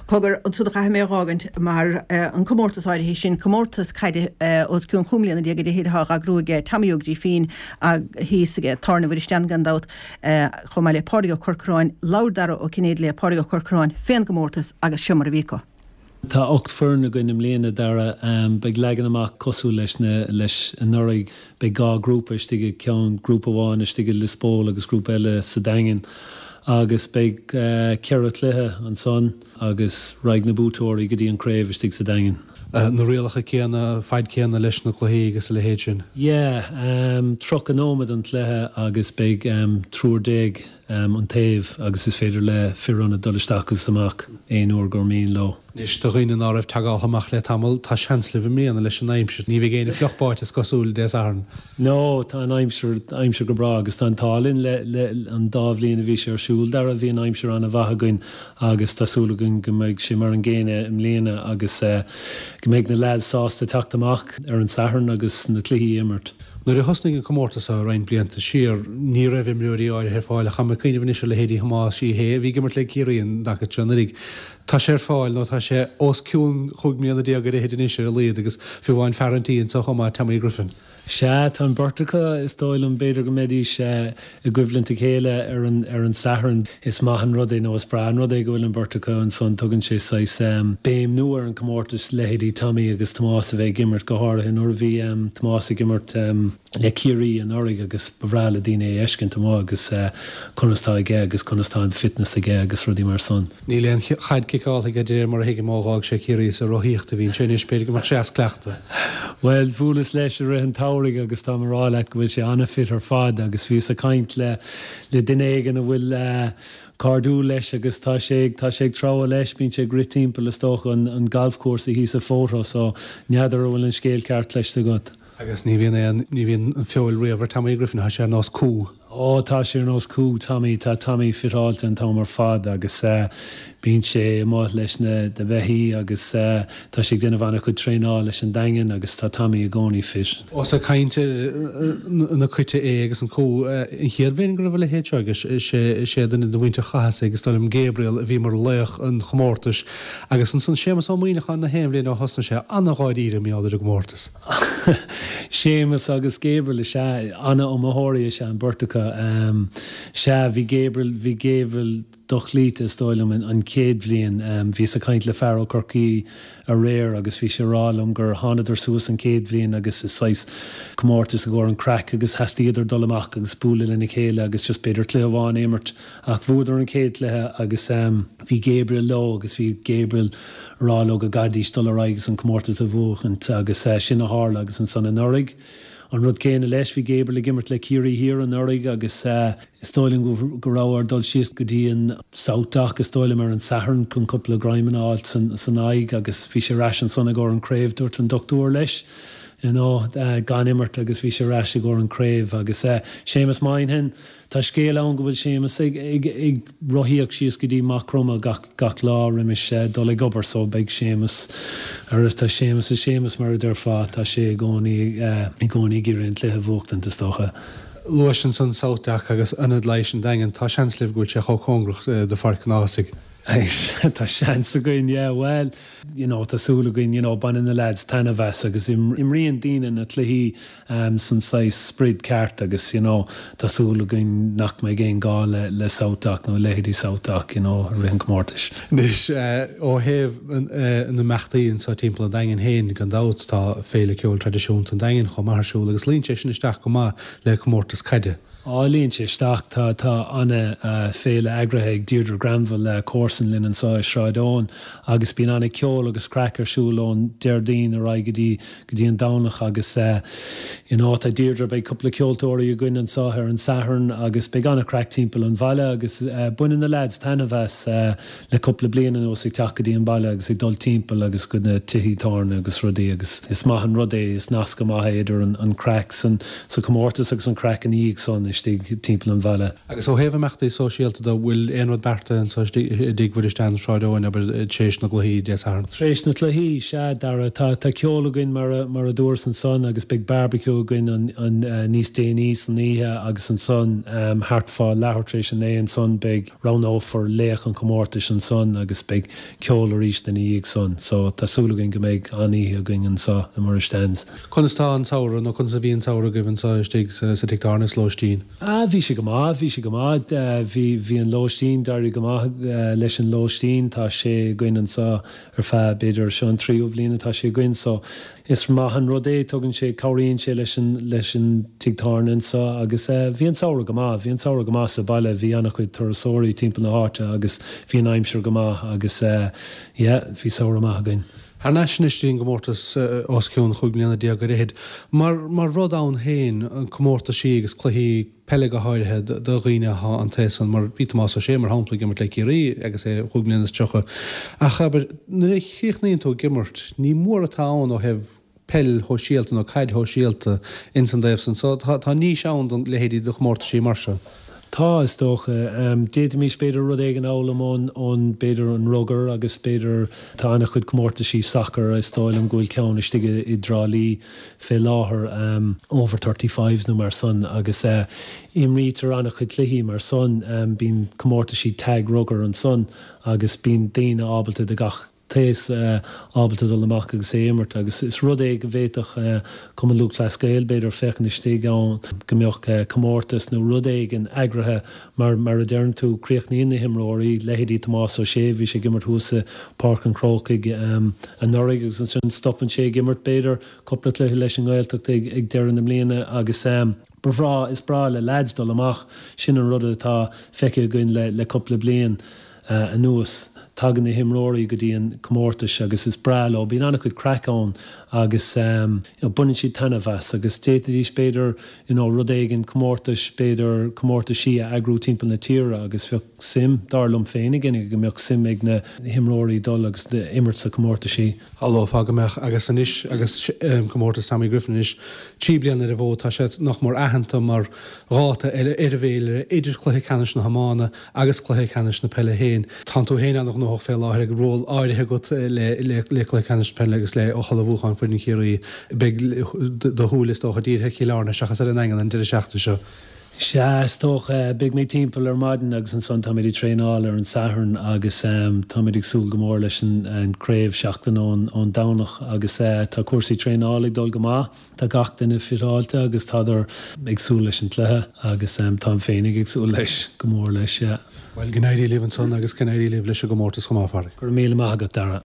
Cogar, ansan caithfidh mé a dh'fhágaint mar an comórtas áirithe sin, comórtas caide os cionn chúig mbliana déag ar fhichid atá á eagrú aige Tommy Óg Grífín thíos ag Tábhairne Mhuire gan dabht, chomh maith le Pádraig Ó Corcoráin, labhair Dara Ó Cinnéide le Pádraig Ó Corcoráin fén gcomórtas agus seo mar a bhí acu. Tá 8 foireann againn i mbliana, Dara. Beidh leagan amach cosúil leis na leis anuraidh. Beidh 2 grúpa istigh i gceann, grúpa amháin istigh i Lios Póil agus grúpa eile sa Daingean. Agus beidh 4 chluiche ansan agus raghaidh na buaiteoirí go dtí an craobh istigh sa Daingean. Na rialacha céanna, fad céanna leis na cluichí agus a leithéid sin? Yeah, 30 nóiméad an cluiche agus beidh triúr déag an taobh agus is féidir le fir ionaid dul isteach agus amach aon uair gur mian leo. Anois, do dhaoine ná raibh tagaithe amach le tamall, tá seans libh i mbliana leis an aimsir. Ní bheidh éinne fliuch báite is cosúil, Dé Sathairn. No, tá an aimsir, aimsir go breá agus tá an t-ádh linn le, le, an dá bhliain a bhí sé ar siúl, Dara, bhí an aimsir an-mhaith againn agus tá súil againn go mbeidh sé mar an gcéanna i mbliana agus go mbeidh na lads sásta teacht amach ar an Satharn agus na cluichí a imirt. Nuair a thosnaigh an comórtas seo roinnt blianta siar, ní raibh imreoirí áirithe ar fáil ach táim ag cuimhneamh anois ar leithéidí Thomáis Uí Shé a bhí ag imirt le Ciarraí an dtaca seo anuraidh. Tá sé ar fáil nó tá sé os cionn chúig mbliana déag ar fhichid anois ar a laghad agus fiú amháin fear an tí anseo chomh maith, Tommy Griffin. Sea, tá an bheirt acu, is dóigh liom, b'fhéidir go mbeidís i gcoimhlint a chéile ar an ar an Satharn. Is maith an rud é nó is breá an rud é go bhfuil an bheirt acu ansan. Tugann sé saghas béim nua ar an chomórtas, leithéidí Tommy agus Tomás a bheith ag imirt, go háirithe nuair a bhí Tomás ag imirt le Ciarraí anuraidh agus ba bhreá le daoine é a fheiscint amuigh agus conas tá aige agus conas tá an fitness aige agus rudaí mar san. Níl aon chaid ciceáltha aige de réir mar a thuigim ó dh'fhág sé Ciarraí is ag rothaíocht a bhíonn sé anois, b'fhéidir go mbeadh sé as cleachtadh. Bhuel, bhuaileas leis i rith an tsamhraidh agus táim a rá leat go bhfuil sé an-fit ar fad agus bhíos ag caint le le duine éigin a bhfuil cairdiúil leis agus tá sé tá sé ag treabhadh leis, bíonn sé ag rith timpeall is dócha an an galfchúrsa thíos i Fota so n'fheadar an bhfuil an scéal ceart cloiste agat. Agus ní bhíonn aon ní bhíonn an feoil riamh ar Tommy Griffin, tá sé ar nós cú. Ó, tá sé ar nós cú, Tommy, tá Tommy fiteáilte an t-am ar fad agus bíonn sé amuigh leis na beithígh agus tá sé ag déanamh an-chuid traenáil leis an Daingean agus tá Tommy i gcónaí fit. Ós ag caint ar na coite é agus an cú, an chéad bhliain go raibh a leithéid seo aige, is é duine de mhuintir Chathasaigh, is dóigh liom Gabriel, a bhí mar laoch an chomórtais agus ansan Séamus Ó Muíneacháin na haon bhliain ó thosnaigh sé, an-dháiríre mar gheall ar an gcomórtas. Séamus agus Gabriel, is ea, an-iomaitheoirí is ea an bheirt acu. Sea, bhí Gabriel, bhí Gabriel dochloíte, is dóigh liom, an chéad bhliain. Bhíos ag caint le fear ó Chorcaí aréir agus bhí sé ag rá liom gur thánadar suas an chéad bhliain agus is saghas comórtas i gcomhair an craic agus theastaíodar dul amach agus bualadh lena chéile agus just b'fhéidir cluiche amháin a imirt ach bhuadar an chéad chluiche agus bhí Gabriel leo agus bhí Gabriel a rá leo go gcaithfidís dul ar aghaidh agus an comórtas a bhuachaint agus sin a tharla agus ansan anuraidh an rud céanna leis, bhí Gabriel ag imirt le Ciarraí Thiar anuraidh agus is dóigh liom go raibh air dul síos go dtí an South Dock is dóigh liom ar an Satharn chun cúpla greim a fháilt san aghaidh agus bhí sé ar ais ansan i gcomhair an craobh, dúirt an dochtúir leis you know gan imirt agus bhí sé ar ais i gcomhair an craobh agus Séamus Moynihan Tá scéal ann go bhfuil Séamus ag ag rothaíocht síos go dtí Maigh Chromtha gach gach lá roimis dul ag obair so beidh Séamus ar tá Séamus is Séamus mar a déarfá, tá sé i gcónaí i gcónaí ag iarraidh an cluiche a bhuachtaint is dócha. Luais ansan South Dock agus Ionad Leighis an Daingin, tá seans libh go bhfuil sé chomh cóngarach do Pháirc an Ághasaigh. Tá seans againn, yeah, bhuel, you know, tá súil againn, you know, baineann na lads taitneamh as agus imríonn daoine na cluichí san saghas sprid ceart agus, you know, tá súil againn nach mbeidh aon gá le le South Dock nó leithéidí South Dock, you know, i rith an chomórtais. Anois, ó thaobh na n-imeachtaí anseo timpeall an Daingin féin, gan dabht, tá Féile Ceoil Traidisiúnta an Daingin chomh maith ar siúl agus luíonn sé sin isteach go maith le comórtas caide. Á, luíonn sé isteach. Tá, tá ana féile eagraithe ag Deirdre Granville, comharsan linn anseo i Sráid Eoin agus bíonn ana ceol agus craic ar siúl ón Déardaoin ar aghaidh go dtí, go dtí an Domhnach agus you know tá Deirdre, beidh cúpla ceoltóirí againn anseo ar an Satharn agus beidh ana craic timpeall an bhaile agus baineann na lads taitneamh as le cúpla bliain anuas ag teacht go dtí an baile agus ag dul timpeall agus go na tithí tábhairne agus rudaí agus is maith an rud é, is nasc maith é idir an craic san sa chomórtas agus an craic ina dhiaidh san. istigh timpeall an bhaile. Agus ó thaobh imeachtaí sóisialta de, bhfuil aon rud beartaithe anseo istigh i dTigh Mhuire Stean, Sráid Eoin, abair, tar éis na gcluichí Dé Sathairn? Tar éis na cluichí, sea, Dara. Tá, tá ceol againn mar a, mar a dúras ansan agus beidh barbecue againn an, an, níos déanaí san oíche agus ansan thart fá leathuair tar éis a naoi ansan beidh, roghnófar laoch an chomórtais ansan agus beidh ceol arís ina dhiaidh san. So tá súil againn go mbeidh an-oíche againn anseo i Muire Stan's. Conas tá an samhradh, nó conas a bhí an samhradh agaibh anseo istigh sa tigh tábhairne is lóistín? Ah bhí sé go maith, bhí sé go maith. Bhí, bhí an lóistín, d'éirigh go maith leis an lóistín. Tá sé againn anseo ar feadh, b'fhéidir, seo an tríú bliain atá sé againn so is maith an rud é, tugann sé, cabhraíonn sé leis an, leis an tigh tábhairne anseo agus bhí an samhradh go maith, bhí an samhradh go maith sa baile, bhí an-chuid turasóirí timpeall na háite agus bhí an aimsir go maith agus yeah, bhí samhradh maith againn. Thar n-ais anois dtí an gcomórtas os cionn chúig mbliana déag ar fhichid. Mar, mar rud ann féin, comórtaisí agus cluichí peile go háirithe do dhaoine atá an taos san, mar bhí Tomás Ó Sé mar shampla ag imirt le Ciarraí agus é chúig mbliana is 30. Ach abair, nuair a chríochnaíonn tú ag imirt, ní mór atá ann ó thaobh peil shóisialta nó caid shóisialta ins an dtaobh san. So tá, tá niche ann do leithéidí de chomórtaisí mar seo. Tá, is dócha. D'fhéadfaimis b'fhéidir rud éigin a fhoghlaim ón, ón, b'fhéidir an rugar agus b'fhéidir tá an-chuid comórtaisí sacair, is dóigh liom go bhfuil ceann istigh i, i dTrá Lí fé láthair, over thirty-fives nó mar san agus imrítear an-chuid cluichí mar san. Bíonn comórtaisí tag rugar ansan agus bíonn daoine ábalta de gach t-aos ábalta dul amach agus é a imirt agus is rud é go bhféadfadh Cumann Lúthchleas Gael b'fhéidir féachaint istigh ann go mbeadh comórtas nó rud éigin eagraithe mar mar a deireann tú críochnaíonn na himreoirí, leithéidí Tomás Ó Sé, bhí sé ag imirt thuas i Páirc an Chrócaigh anuraidh agus ansin stopann sé ag imirt b'fhéidir cúpla cluiche leis an nGaeltacht ag deireadh na mbliana agus. Ba bhreá, is breá le leaids dul amach, sin an rud atá feicthe againn le le cúpla bliain anuas. Tagann na himreoirí go dtí an comórtais agus is breá leo, bíonn an-chuid craic ann agus you know baineann siad taitneamh as agus d'fhéadfaidís b'fhéidir you know rud éigin, comórtais, b'fhéidir comórtaisí a eagrú timpeall na tíre agus bheadh suim, dar liom féinig, go mbeadh suim ag na himreoirí dul agus imirt sa comórtaisí. Shamhlófá go mbeadh agus anois agus comórtas Tommy Griffin anois 3 bliana ar an bhfód tá sé nach mór aitheanta mar dháta ar an bhféilire idir cluiche ceannais na hiomána agus cluiche ceannais na peile féin. Tánn tú féin an-ghnóthach fé láthair ag ról áirithe agat le cluiche ceannais na peile agus le hullmhúchán foireann Chiarraí. Beidh do shúile is dócha dírithe ar Chill Airne seachas ar an nDaingean an deireadh seachtaine seo. Sea, is dócha. Beidh mé timpeall ar maidin agus ansan táimid ag traenáil ar an Satharn agus táimid ag súil go mór leis an craobh seachtain ón Domhnach agus tá cúrsaí traenála ag dul go maith. Tá gach duine fiteáilte agus tádar ag súil leis an cluiche agus táim féinig ag súil leis, go mór leis, yeah. Bhuel, go n-éirí libh ansan agus go n-éirí libh leis an gcomórtas chomh maith, a Phádraig. Go raibh míle maith agat, Dara.